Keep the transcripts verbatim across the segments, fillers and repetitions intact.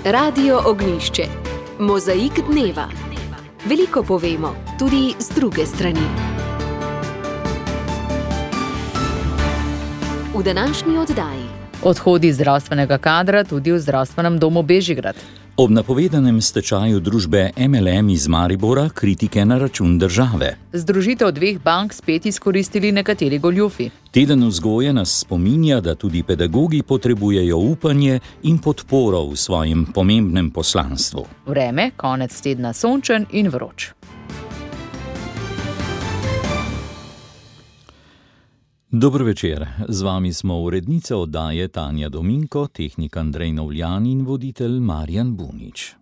Radio Ognjišče. Mozaik dneva. Veliko povemo, tudi z druge strani. V današnji oddaji. Odhodi zdravstvenega kadra tudi v zdravstvenem domu Bežigrad. Ob napovedanem stečaju družbe M L M iz Maribora kritike na račun države. Združitev dveh bank spet izkoristili nekateri goljufi. Teden vzgoje nas spominja, da tudi pedagogi potrebujejo upanje in podporo v svojem pomembnem poslanstvu. Vreme, konec tedna sončen in vroč. Dober večer, z vami smo urednica oddaje Tanja Dominko, tehnik Andrej Novljan in voditelj Marjan Bunič.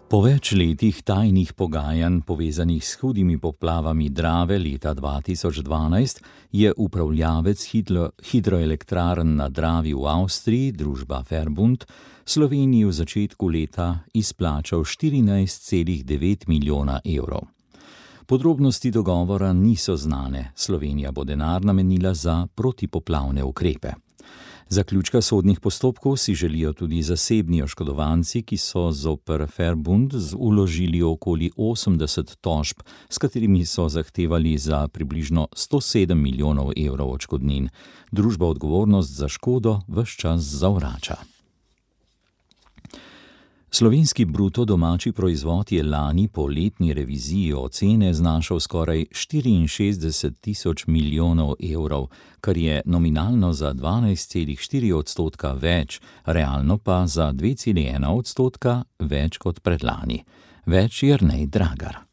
Po več letih tajnih pogajanj, povezanih s hudimi poplavami Drave leta dva tisoč dvanajst, je upravljavec hidro, hidroelektrarn na Dravi v Avstriji, družba Verbund, Sloveniji v začetku leta izplačal štirinajst celih devet milijona evrov. Podrobnosti dogovora niso znane, Slovenija bo denar namenila za protipoplavne ukrepe. Zaključka sodnih postopkov si želijo tudi zasebni oškodovanci, ki so zoper Verbund vložili okoli osemdeset tožb, s katerimi so zahtevali za približno sto sedem milijonov evrov odškodnin. Družba odgovornost za škodo ves čas zavrača. Slovenski bruto domači proizvod je lani po letni reviziji ocene znašal skoraj štiriinšestdeset tisoč milijonov evrov, kar je nominalno za dvanajst celih štiri odstotka več, realno pa za dve celih ena odstotka več kot predlani. Več Jernej Dragar.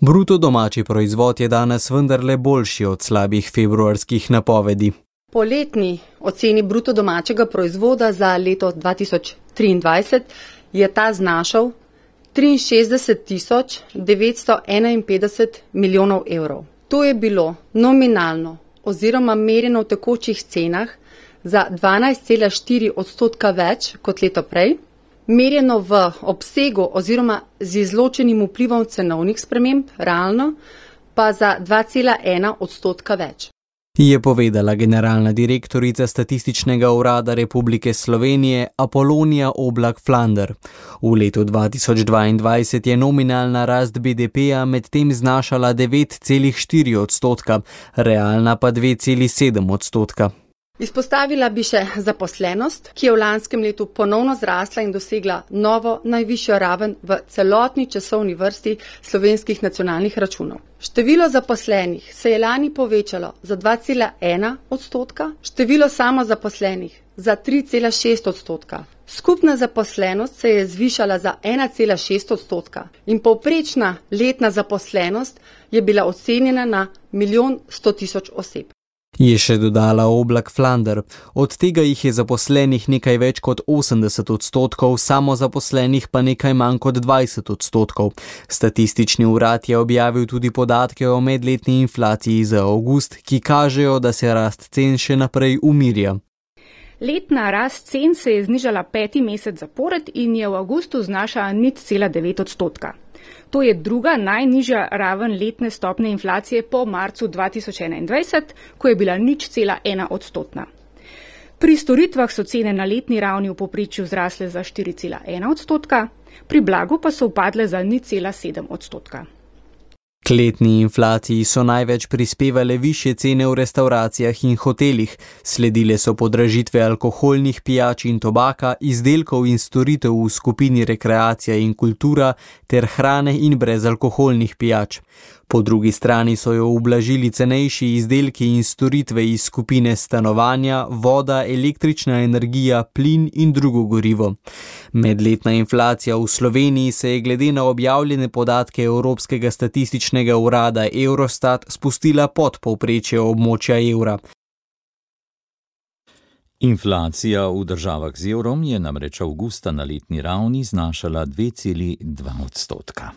Bruto domači proizvod je danes vendarle boljši od slabih februarskih napovedi. Po letni oceni bruto domačega proizvoda za leto dva tisoč triindvajset je ta znašal triinšestdeset tisoč devetsto enainpetdeset milijonov evrov. To je bilo nominalno oziroma merjeno v tekočih cenah za dvanajst celih štiri odstotka več kot leto prej, merjeno v obsegu oziroma z izločenim vplivom cenovnih sprememb, realno pa za dva celih ena odstotka več. Je povedala generalna direktorica Statističnega urada Republike Slovenije Apolonija Oblak-Flander. V letu dva tisoč dvaindvajset je nominalna rast B D P-ja medtem znašala devet celih štiri odstotka, realna pa dve celih sedem odstotka. Izpostavila bi še zaposlenost, ki je v lanskem letu ponovno zrasla in dosegla novo najvišjo raven v celotni časovni vrsti slovenskih nacionalnih računov. Število zaposlenih se je lani povečalo za dva celih ena odstotka, število samozaposlenih za tri celih šest odstotka. Skupna zaposlenost se je zvišala za ena celih šest odstotka in povprečna letna zaposlenost je bila ocenjena na milijon sto tisoč oseb. Je še dodala Oblak-Flander. Od tega jih je zaposlenih nekaj več kot osemdeset odstotkov, samozaposlenih pa nekaj manj kot dvajset odstotkov. Statistični urad je objavil tudi podatke o medletni inflaciji za avgust, ki kažejo, da se rast cen še naprej umirja. Letna rast cen se je znižala peti mesec zapored in je v avgustu znašala nič celih devet odstotka. To je druga najnižja raven letne stopne inflacije po marcu dva tisoč enaindvajset, ko je bila nič celih ena odstotna. Pri storitvah so cene na letni ravni v povprečju zrasle za štiri celih ena odstotka, pri blagu pa so upadle za nič celih sedem odstotka. K letni inflaciji so največ prispevale višje cene v restavracijah in hotelih, sledile so podražitve alkoholnih pijač in tobaka, izdelkov in storitev v skupini rekreacija in kultura ter hrane in brezalkoholnih pijač. Po drugi strani so jo ublažili cenejši izdelki in storitve iz skupine stanovanja, voda, električna energija, plin in drugo gorivo. Medletna inflacija v Sloveniji se je glede na objavljene podatke Evropskega statističnega urada Eurostat spustila pod povprečje območja evra. Inflacija v državah z evrom je namreč avgusta na letni ravni znašala dve celih dva odstotka.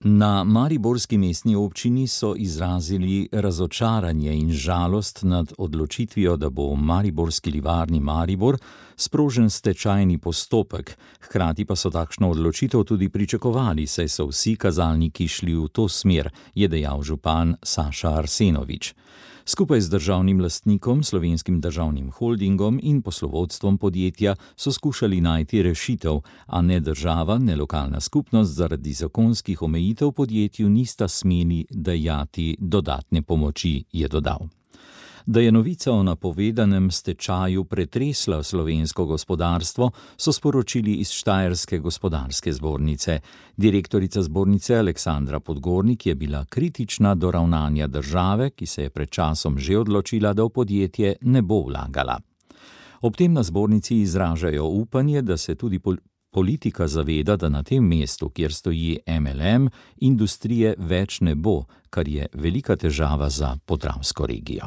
Na mariborski mestni občini so izrazili razočaranje in žalost nad odločitvijo, da bo v mariborski livarni Maribor sprožen stečajni postopek, hkrati pa so takšno odločitev tudi pričakovali, saj so vsi kazalniki šli v to smer, je dejal župan Saša Arsenovič. Skupaj z državnim lastnikom, Slovenskim državnim holdingom in poslovodstvom podjetja so skušali najti rešitev, a ne država, ne lokalna skupnost zaradi zakonskih omejitev podjetju nista smeli dajati dodatne pomoči, je dodal. Da je novica o napovedanem stečaju pretresla slovensko gospodarstvo, so sporočili iz Štajerske gospodarske zbornice. Direktorica zbornice Aleksandra Podgornik je bila kritična do ravnanja države, ki se je pred časom že odločila, da v podjetje ne bo vlagala. Ob tem na zbornici izražajo upanje, da se tudi pol- politika zaveda, da na tem mestu, kjer stoji M L M, industrije več ne bo, kar je velika težava za Podravsko regijo.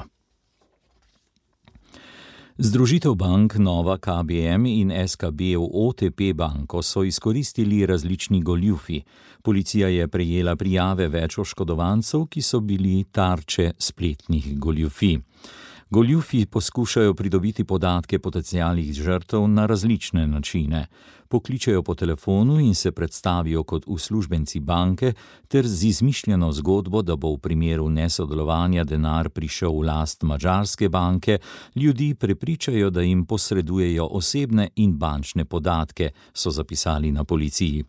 Združitev bank Nova K B M in S K B v O T P banko so izkoristili različni goljufi. Policija je prejela prijave več oškodovancev, ki so bili tarče spletnih goljufij. Goljufi poskušajo pridobiti podatke potencialnih žrtev na različne načine. Pokličejo po telefonu in se predstavijo kot uslužbenci banke ter z izmišljeno zgodbo, da bo v primeru nesodelovanja denar prišel v last madžarske banke, ljudi prepričajo, da jim posredujejo osebne in bančne podatke, so zapisali na policiji.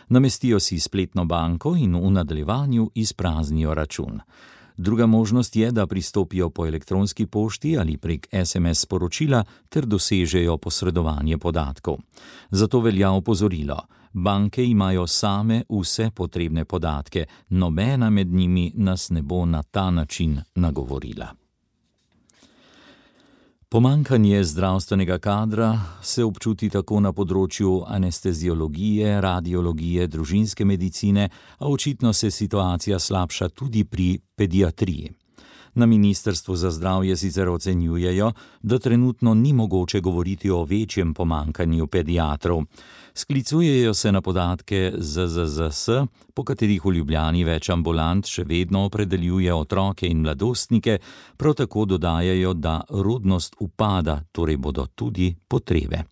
Namestijo si spletno banko in v nadaljevanju izpraznijo račun. Druga možnost je, da pristopijo po elektronski pošti ali prek S M S sporočila ter dosežejo posredovanje podatkov. Zato velja opozorilo. Banke imajo same vse potrebne podatke, nobena med njimi nas ne bo na ta način nagovorila. Pomanjkanje zdravstvenega kadra se občuti tako na področju anesteziologije, radiologije, družinske medicine, a očitno se situacija slabša tudi pri pediatriji. Na Ministrstvu za zdravje sicer ocenjujejo, da trenutno ni mogoče govoriti o večjem pomanjkanju pediatrov. Sklicujejo se na podatke Z Z Z S, po katerih v Ljubljani več ambulant še vedno opredeljuje otroke in mladostnike, prav tako dodajajo, da rodnost upada, torej bodo tudi potrebe.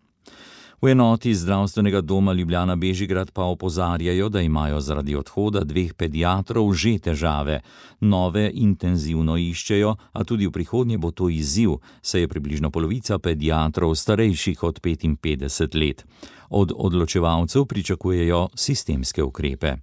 V enoti zdravstvenega doma Ljubljana Bežigrad pa opozarjajo, da imajo zaradi odhoda dveh pediatrov že težave. Nove intenzivno iščejo, a tudi v prihodnje bo to izziv, saj je približno polovica pediatrov starejših od petinpetdeset let. Od odločevalcev pričakujejo sistemske ukrepe.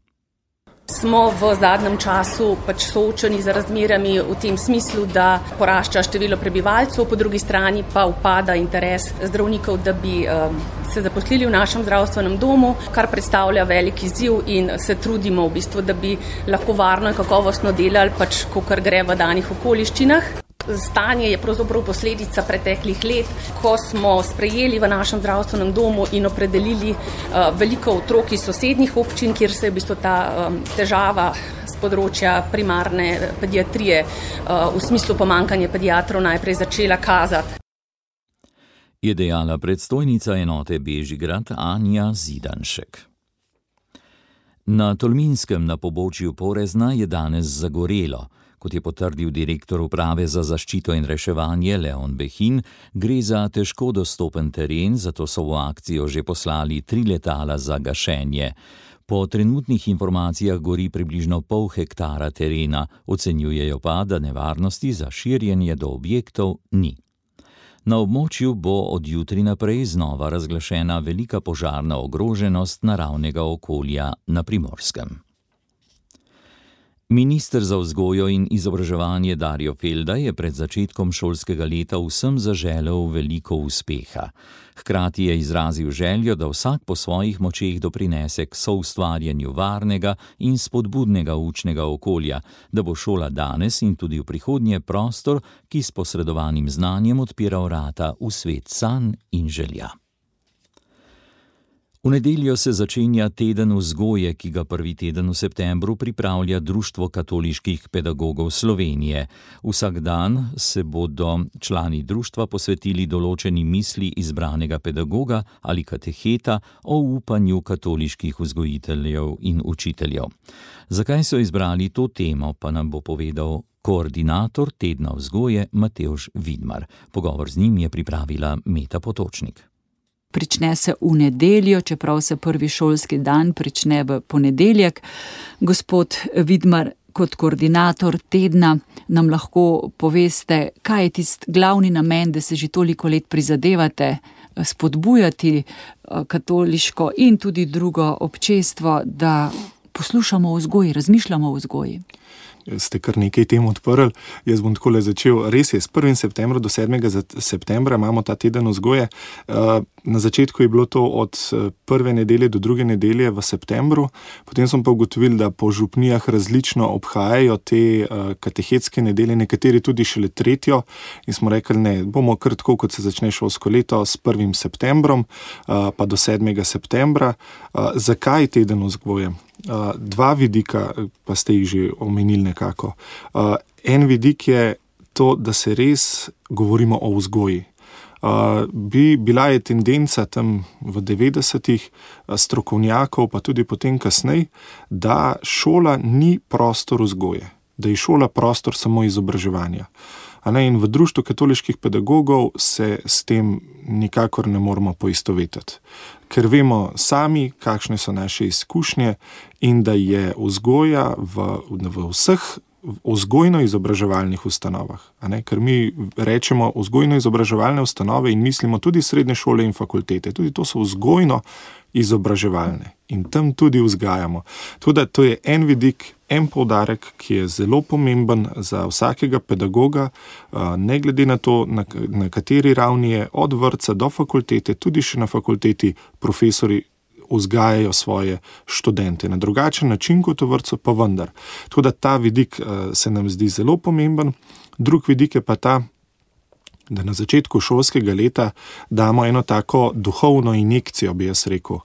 Smo v zadnjem času pač soočeni z razmerami v tem smislu, da porašča število prebivalcev, po drugi strani pa upada interes zdravnikov, da bi um, se zaposlili v našem zdravstvenem domu, kar predstavlja velik izziv in se trudimo v bistvu, da bi lahko varno in kakovostno delali, pač kakor gre v danih okoliščinah. Stanje je pravzaprav posledica preteklih let, ko smo sprejeli v našem zdravstvenem domu in opredelili uh, veliko otrok iz sosednjih občin, kjer se je v bistvu ta um, težava z področja primarne pediatrije uh, v smislu pomanjkanja pediatrov najprej začela kazati. Je dejala predstojnica enote Bežigrad Anja Zidanšek. Na Tolminskem na pobočju Porezna je danes zagorelo. Kot je potrdil direktor uprave za zaščito in reševanje Leon Behin, gre za težko dostopen teren, zato so v akcijo že poslali tri letala za gašenje. Po trenutnih informacijah gori približno pol hektara terena, ocenjujejo pa, da nevarnosti za širjenje do objektov ni. Na območju bo od jutri naprej znova razglašena velika požarna ogroženost naravnega okolja na Primorskem. Minister za vzgojo in izobraževanje Darjo Felda je pred začetkom šolskega leta vsem zaželel veliko uspeha. Hkrati je izrazil željo, da vsak po svojih močeh doprinese k soustvarjanju varnega in spodbudnega učnega okolja, da bo šola danes in tudi v prihodnje prostor, ki s posredovanim znanjem odpira vrata v svet sanj in želja. V nedeljo se začenja teden vzgoje, ki ga prvi teden v septembru pripravlja Društvo katoliških pedagogov Slovenije. Vsak dan se bodo člani društva posvetili določeni misli izbranega pedagoga ali kateheta o upanju katoliških vzgojiteljev in učiteljev. Zakaj so izbrali to temo, pa nam bo povedal koordinator tedna vzgoje Matevž Vidmar. Pogovor z njim je pripravila Meta Potočnik. Prične se v nedeljo, čeprav se prvi šolski dan prične v ponedeljek. Gospod Vidmar, kot koordinator tedna nam lahko poveste, kaj je tisti glavni namen, da se že toliko let prizadevate spodbujati katoliško in tudi drugo občestvo, da poslušamo o vzgoji, razmišljamo o vzgoji. Ste kar nekaj tem odprli. Jaz bom takole začel. Res je, s prvega septembra do sedmega septembra imamo ta teden vzgoje. Na začetku je bilo to od prve nedelje do druge nedelje v septembru, potem smo pa ugotovili, da po župnijah različno obhajajo te katehetske nedelje, nekateri tudi šele tretjo, in smo rekli, ne, bomo kar tako, kot se začne šolsko leto, s prvim septembrom pa do sedmega septembra. Zakaj teden vzgoje? Dva vidika, pa ste jih že omenili nekako. En vidik je to, da se res govorimo o vzgoji. Uh, bi bila je tendenca tam v devetdesetih strokovnjakov, pa tudi potem kasneje, da šola ni prostor vzgoje, da je šola prostor samo izobraževanja. A ne, in v Društvu katoliških pedagogov se s tem nikakor ne moramo poistovetiti, ker vemo sami, kakšne so naše izkušnje in da je vzgoja v, v vseh vzgojno-izobraževalnih ustanovah. A ne? Ker mi rečemo vzgojno-izobraževalne ustanove in mislimo tudi srednje šole in fakultete. Tudi to so vzgojno-izobraževalne in tam tudi vzgajamo. Tudi to je en vidik, en poudarek, ki je zelo pomemben za vsakega pedagoga, ne glede na to, na, na kateri ravni je, od vrtca do fakultete, tudi še na fakulteti profesori vzgajajo svoje študente. Na drugačen način kot v vrtcu, pa vendar. Tako da ta vidik se nam zdi zelo pomemben. Drug vidik je pa ta, da na začetku šolskega leta damo eno tako duhovno injekcijo, bi jaz rekel,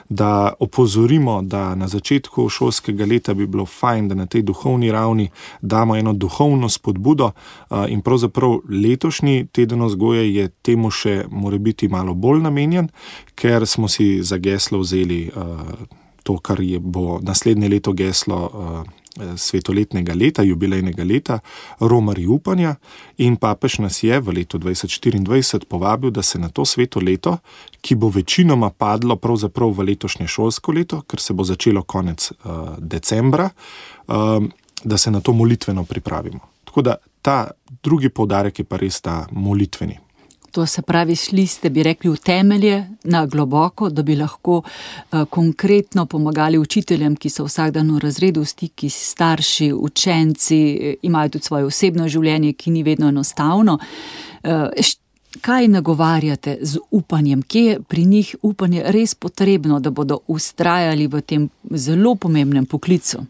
da opozorimo, da na začetku šolskega leta bi bilo fajn, da na tej duhovni ravni damo eno duhovno spodbudo in pravzaprav letošnji teden vzgoje je temu še morebiti malo bolj namenjen, ker smo si za geslo vzeli to, kar je bo naslednje leto geslo svetoletnega leta, jubilejnega leta, Romarji upanja, in papež nas je v letu dvajset štiriindvajset povabil, da se na to sveto leto, ki bo večinoma padlo pravzaprav v letošnje šolsko leto, ker se bo začelo konec uh, decembra, uh, da se na to molitveno pripravimo. Tako da ta drugi poudarek je pa res ta molitveni. To se pravi, šli ste, bi rekli, v temelje na globoko, da bi lahko uh, konkretno pomagali učiteljem, ki so vsak dan v razredu, v stiki s starši, učenci, imajo tudi svoje osebno življenje, ki ni vedno enostavno. Uh, kaj nagovarjate z upanjem? Kje je pri njih upanje res potrebno, da bodo ustrajali v tem zelo pomembnem poklicu?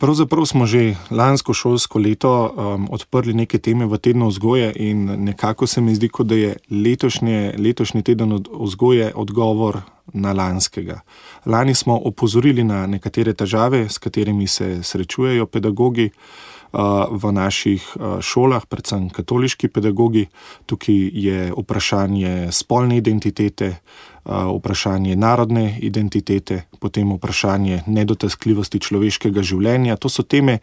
Pravzaprav smo že lansko šolsko leto um, odprli neke teme v tednu vzgoje in nekako se mi zdi, kot da je letošnje, letošnji teden vzgoje odgovor na lanskega. Lani smo opozorili na nekatere težave, s katerimi se srečujejo pedagogi uh, v naših uh, šolah, predvsem katoliški pedagogi. Tukaj je vprašanje spolne identitete, vprašanje narodne identitete, potem vprašanje nedotakljivosti človeškega življenja. To so teme,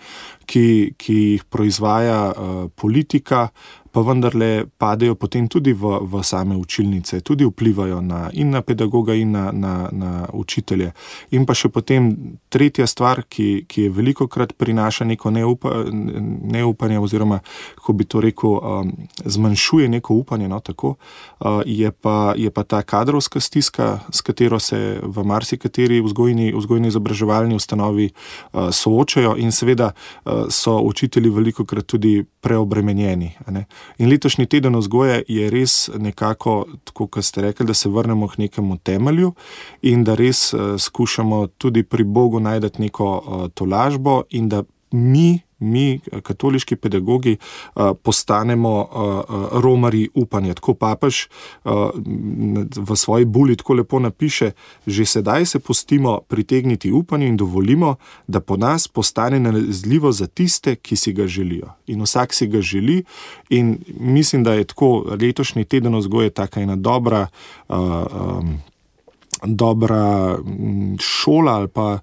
ki, ki jih proizvaja uh, politika, pa vendarle padejo potem tudi v, v same učilnice, tudi vplivajo na, in na pedagoga in na, na, na učitelje. In pa še potem tretja stvar, ki, ki je velikokrat prinaša neko neupa, neupanje oziroma, kako bi to rekel, um, zmanjšuje neko upanje, no, tako, uh, je, pa, je pa ta kadrovska stiska, s katero se v marsikateri vzgojni, vzgojno-izobraževalni ustanovi uh, soočajo in seveda uh, so učitelji velikokrat tudi preobremenjeni. Ne? In letošnji teden vzgoje je res nekako, tako kot ste rekli, da se vrnemo k nekemu temelju in da res uh, skušamo tudi pri Bogu najti neko uh, tolažbo in da mi, mi, katoliški pedagogi, uh, postanemo uh, uh, romarji upanja. Tako papež uh, v svoji buli tako lepo napiše, že sedaj se pustimo pritegniti upanju in dovolimo, da po nas postane nalezljivo za tiste, ki si ga želijo. In vsak si ga želi in mislim, da je tako letošnji teden vzgoje taka ena dobra uh, um, dobra šola ali pa,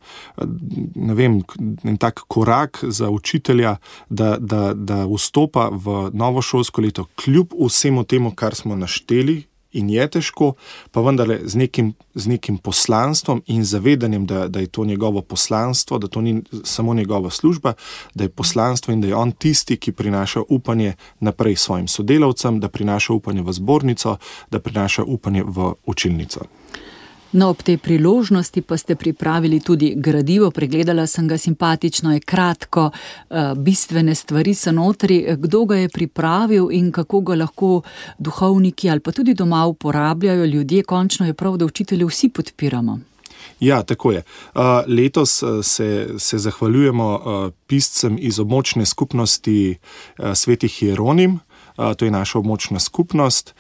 ne vem, en tak korak za učitelja, da, da, da vstopa v novo šolsko leto kljub vsemu temu, kar smo našteli in je težko, pa vendarle z nekim, z nekim poslanstvom in zavedanjem, da, da je to njegovo poslanstvo, da to ni samo njegova služba, da je poslanstvo in da je on tisti, ki prinaša upanje naprej svojim sodelavcem, da prinaša upanje v zbornico, da prinaša upanje v učilnico. No, ob tej priložnosti pa ste pripravili tudi gradivo, pregledala sem ga, simpatično je, kratko, bistvene stvari so notri. Kdo ga je pripravil in kako ga lahko duhovniki ali pa tudi doma uporabljajo ljudje? Končno je prav, da učitelje vsi podpiramo. Ja, tako je. Letos se, se zahvaljujemo piscem iz območne skupnosti Svetih Hieronim. To je naša območna skupnost.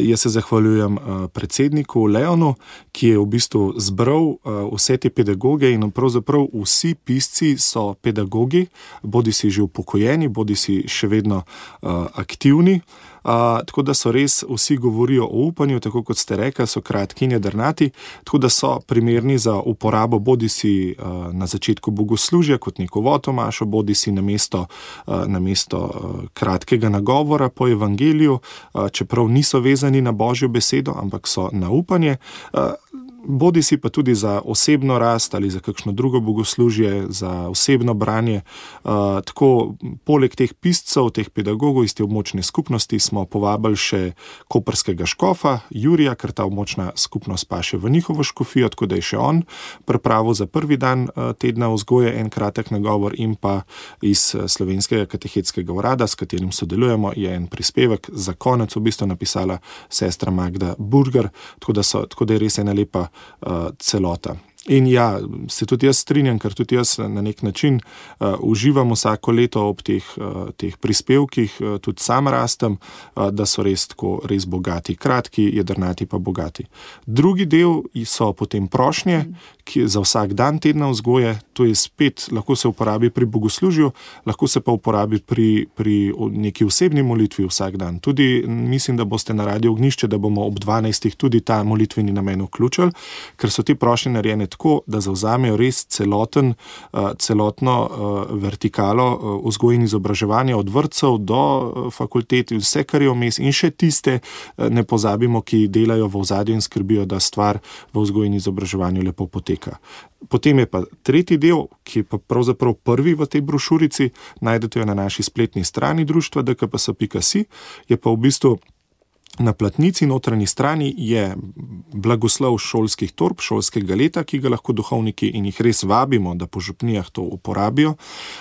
Jaz se zahvaljujem predsedniku Leonu, ki je v bistvu zbral vse te pedagoge in pravzaprav vsi pisci so pedagogi, bodi si že upokojeni, bodi si še vedno aktivni. Uh, tako da so res vsi govorijo o upanju, tako kot ste rekli, so kratki in jedrnati, tako da so primerni za uporabo bodi si uh, na začetku bogoslužja kot neko votomašo, bodi si na mesto, uh, na mesto uh, kratkega nagovora po evangeliju, uh, čeprav niso vezani na Božjo besedo, ampak so na upanje. Uh, Bodi si pa tudi za osebno rast ali za kakšno drugo bogoslužje, za osebno branje. Uh, tako, poleg teh piscev, teh pedagogov iz te območne skupnosti smo povabili še koprskega škofa, Jurija, ker ta območna skupnost pa še v njihovo škofijo, tako da je še on pripravil za prvi dan uh, tedna vzgoje en kratek nagovor in pa iz Slovenskega katehetskega urada, s katerim sodelujemo, je en prispevek za konec v bistvu napisala sestra Magda Burger, tako da, so, tako da je res ena lepa Uh, celota. In ja, se tudi jaz strinjam, ker tudi jaz na nek način uh, uživam vsako leto ob teh, uh, teh prispevkih, uh, tudi sam rastem, uh, da so res tako res bogati, kratki, jedrnati pa bogati. Drugi del so potem prošnje, ki za vsak dan tedna vzgoje, to je spet, lahko se uporabi pri bogoslužju, lahko se pa uporabi pri, pri neki osebni molitvi vsak dan. Tudi mislim, da boste na Radio Ognjišče, da bomo ob dvanajstih tudi ta molitveni namen vključili, ker so te prošnje narejene tako, da zavzamejo res celoten, celotno vertikalo vzgoje in izobraževanja od vrtcev do fakultet, vse, kar je vmes, in še tiste, ne pozabimo, ki delajo v ozadju in skrbijo, da stvar v vzgoji in izobraževanju lepo poteka. Potem je pa tretji del, ki je pa pravzaprav prvi v tej brošurici, najdete jo na naši spletni strani društva d k p s pika si, je pa v bistvu na platnici notranji strani je blagoslov šolskih torb, šolskega leta, ki ga lahko duhovniki, in jih res vabimo, da po župnijah to uporabijo,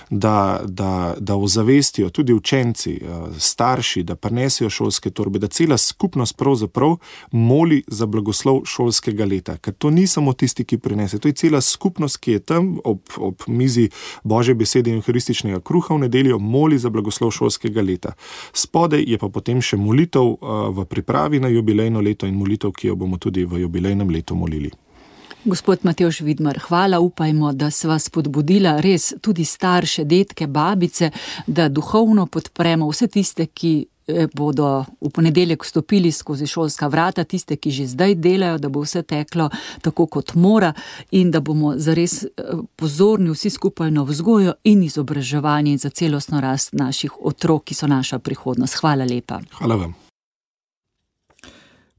da, da, da ozavestijo tudi učenci, starši, da prinesejo šolske torbe, da cela skupnost pravzaprav moli za blagoslov šolskega leta. Ker to ni samo tisti, ki prinese, to je cela skupnost, ki je tam ob, ob mizi Božje besede in euharističnega kruha v nedeljo, moli za blagoslov šolskega leta. Spodaj je pa potem še molitev v v pripravi na jubilejno leto in molitev, ki jo bomo tudi v jubilejnem letu molili. Gospod Matevž Vidmar, hvala, upajmo, da sva spodbudila res tudi starše, detke, babice, da duhovno podpremo vse tiste, ki bodo v ponedeljek vstopili skozi šolska vrata, tiste, ki že zdaj delajo, da bo vse teklo tako, kot mora, in da bomo zares pozorni vsi skupaj na vzgojo in izobraževanje in za celostno rast naših otrok, ki so naša prihodnost. Hvala lepa. Hvala vam.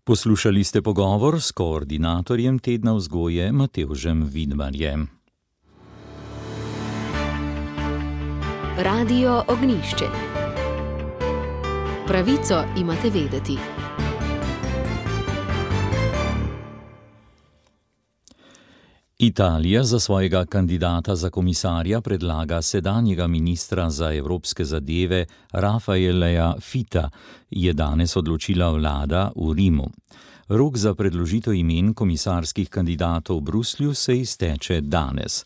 Poslušali ste pogovor s koordinatorjem tedna vzgoje Matevžem Vidmarjem. Radio Ognjišče. Pravico imate vedeti. Italija za svojega kandidata za komisarja predlaga sedanjega ministra za evropske zadeve Raffaeleja Fita, je danes odločila vlada v Rimu. Rok za predložitev imen komisarskih kandidatov v Bruslju se izteče danes.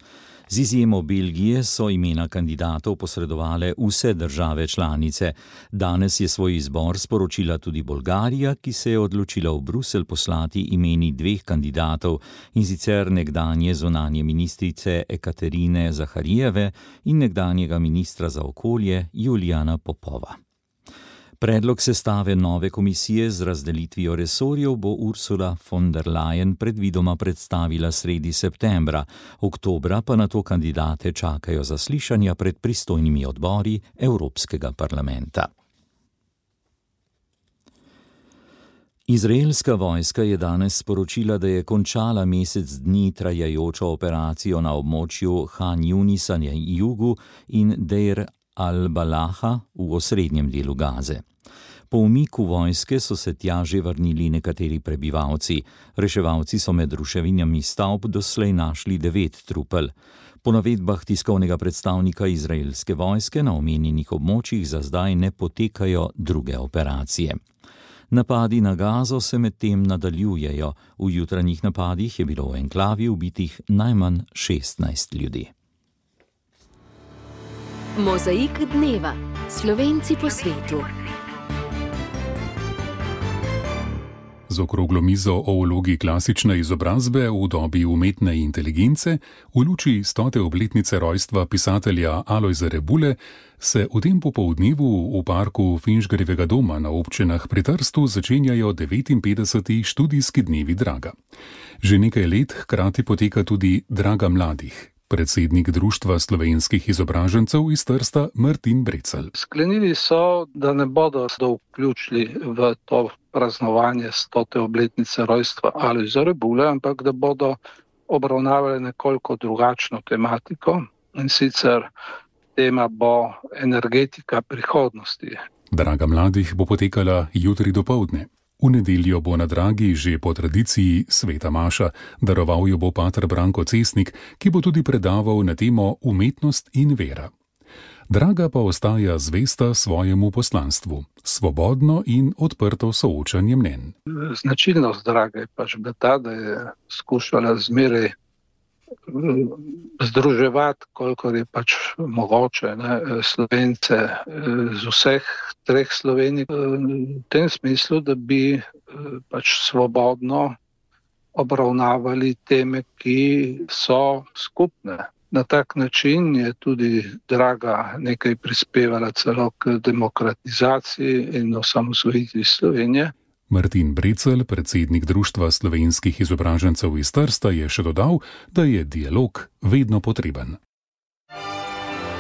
Z izjemo Belgije so imena kandidatov posredovale vse države članice. Danes je svoj izbor sporočila tudi Bolgarija, ki se je odločila v Bruselj poslati imeni dveh kandidatov, in sicer nekdanje zunanje ministrice Ekaterine Zaharijeve in nekdanjega ministra za okolje Julijana Popova. Predlog sestave nove komisije z razdelitvijo resorjev bo Ursula von der Leyen predvidoma predstavila sredi septembra, oktobra pa na to kandidate čakajo zaslišanja pred pristojnimi odbori Evropskega parlamenta. Izraelska vojska je danes sporočila, da je končala mesec dni trajajočo operacijo na območju Han Junisa na jugu in Deir al-Balaha v osrednjem delu Gaze. Po umiku vojske so se tja že vrnili nekateri prebivalci. Reševalci so med ruševinami stavb doslej našli devet trupel. Po navedbah tiskovnega predstavnika izraelske vojske na omenjenih območjih za zdaj ne potekajo druge operacije. Napadi na Gazo se medtem nadaljujejo. V jutranjih napadih je bilo v enklavi ubitih najmanj šestnajst ljudi. Mozaik dneva. Slovenci po svetu. Z okroglo mizo o vlogi klasične izobrazbe v dobi umetne inteligence v luči stote obletnice rojstva pisatelja Alojza Rebule se v tem popoldnevu v parku Finžgarjevega doma na občinah pri Trstu začenjajo devetinpetdeseti študijski dnevi Draga. Že nekaj let hkrati poteka tudi Draga mladih. Predsednik Društva slovenskih izobražencev iz Trsta Martin Brecelj. Sklenili so, da ne bodo vključili v to praznovanje stote obletnice rojstva Alojza Rebule, ampak da bodo obravnavali nekoliko drugačno tematiko, in sicer tema bo energetika prihodnosti. Draga mladih bo potekala jutri dopoldne. V nedeljo bo na Dragi že po tradiciji sveta maša, daroval jo bo pater Branko Cesnik, ki bo tudi predaval na temo umetnost in vera. Draga pa ostaja zvesta svojemu poslanstvu, svobodno in odprto soočanje mnenj. Značilnost Drage je pač bila ta, da je skušala zmeraj združevati, kolikor je pač mogoče, ne, Slovence z vseh treh Slovenij, v tem smislu, da bi pač svobodno obravnavali teme, ki so skupne. Na tak način je tudi Draga nekaj prispevala celo k demokratizaciji in osamosvojitvi Slovenije. Martin Brecelj, predsednik Društva slovenskih izobražencev iz Trsta, je še dodal, da je dialog vedno potreben.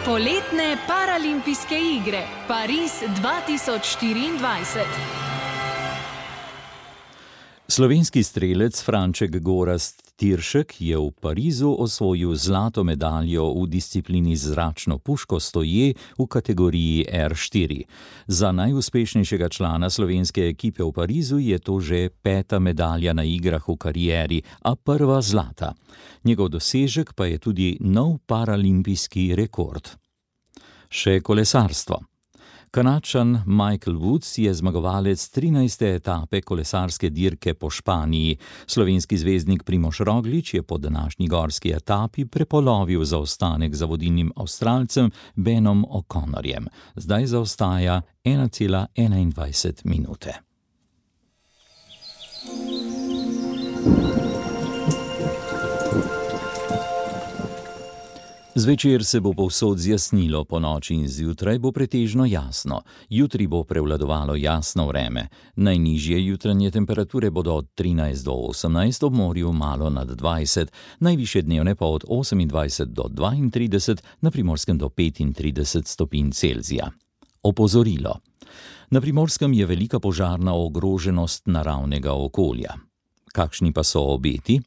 Poletne paralimpijske igre Pariz dva tisoč štiriindvajset. Slovenski strelec Franček Gorazd Tiršek je v Parizu osvojil zlato medaljo v disciplini zračno puško stoje v kategoriji er štiri. Za najuspešnejšega člana slovenske ekipe v Parizu je to že peta medalja na igrah v karieri, a prva zlata. Njegov dosežek pa je tudi nov paralimpijski rekord. Še kolesarstvo. Kanadčan Michael Woods je zmagovalec trinajste etape kolesarske dirke po Španiji. Slovenski zvezdnik Primož Roglič je po današnji gorski etapi prepolovil zaostanek za vodilnim Avstralcem Benom O'Connorjem. Zdaj zaostaja ena cela enaindvajset minute. Zvečer se bo povsod zjasnilo, po noči in zjutraj bo pretežno jasno. Jutri bo prevladovalo jasno vreme. Najnižje jutranje temperature bodo od trinajst do osemnajst, ob morju malo nad dvajset, najvišje dnevne pa od osemindvajset do dvaintrideset, na Primorskem do petintrideset stopinj Celzija. Opozorilo. Na Primorskem je velika požarna ogroženost naravnega okolja. Kakšni pa so obeti?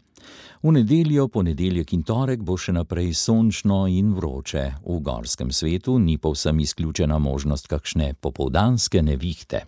V nedeljo, ponedeljek in torek bo še naprej sončno in vroče. V gorskem svetu ni povsem izključena možnost kakšne popoldanske nevihte.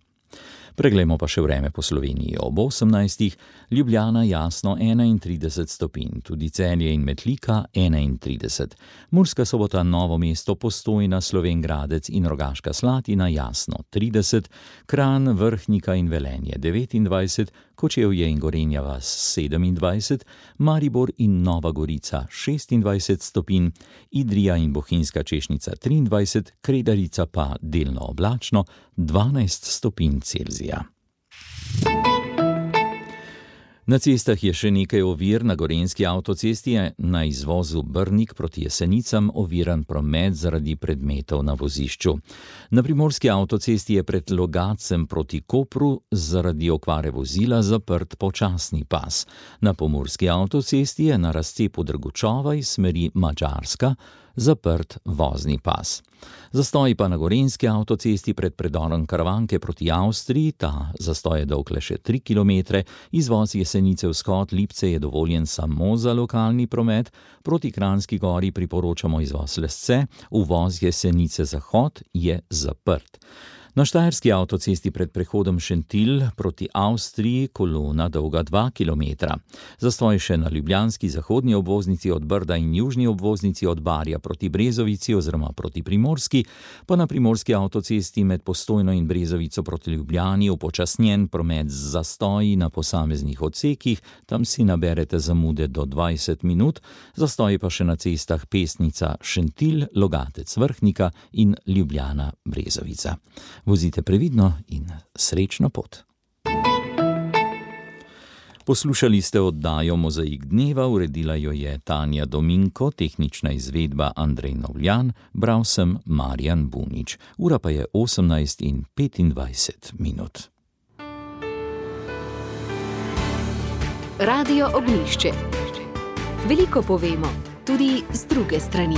Preglejmo pa še vreme po Sloveniji. Ob osemnajstih Ljubljana jasno enaintrideset stopinj, tudi Celje in Metlika enaintrideset. Murska Sobota, Novo mesto, Postojna, Slovenj Gradec in Rogaška Slatina jasno trideset, Kranj, Vrhnika in Velenje devetindvajset, Kočevje in Gorenja vas sedemindvajset, Maribor in Nova Gorica šestindvajset stopinj, Idrija in Bohinjska Češnica triindvajset, Kredarica pa delno oblačno dvanajst stopinj Celzija. Na cestah je še nekaj ovir. Na gorenjski avtocesti je na izvozu Brnik proti Jesenicam oviran promet zaradi predmetov na vozišču. Na primorski avtocesti je pred Logacem proti Kopru zaradi okvare vozila zaprt počasni pas. Na pomurski avtocesti je na razcepu Drgučova iz smeri Madžarska zaprt vozni pas. Zastoj pa na gorenjski avtocesti pred predorom Karavanke proti Avstriji, ta zastoj je dolg le še tri kilometre, izvoz Jesenice-Vzhod Lipce je dovoljen samo za lokalni promet, proti Kranjski Gori priporočamo izvoz Lesce, uvoz Jesenice-Zahod je zaprt. Na štajerski avtocesti pred prehodom Šentilj proti Avstriji kolona dolga dva kilometra. Zastoj še na ljubljanski zahodni obvoznici od Brda in južni obvoznici od Barja proti Brezovici oziroma proti Primorski, pa na primorski avtocesti med Postojno in Brezovico proti Ljubljani upočasnjen promet z zastoji na posameznih odsekih, tam si naberete zamude do dvajset minut, zastoji pa še na cestah Pesnica Šentilj, Logatec Vrhnika in Ljubljana Brezovica. Vozite previdno in srečno pot. Poslušali ste oddajo Mozaik dneva, uredila jo je Tanja Dominko, tehnična izvedba Andrej Novljan, bral sem Marjan Bunič. Ura pa je osemnajst in petindvajset minut. Radio Ognjišče. Veliko povemo, tudi z druge strani.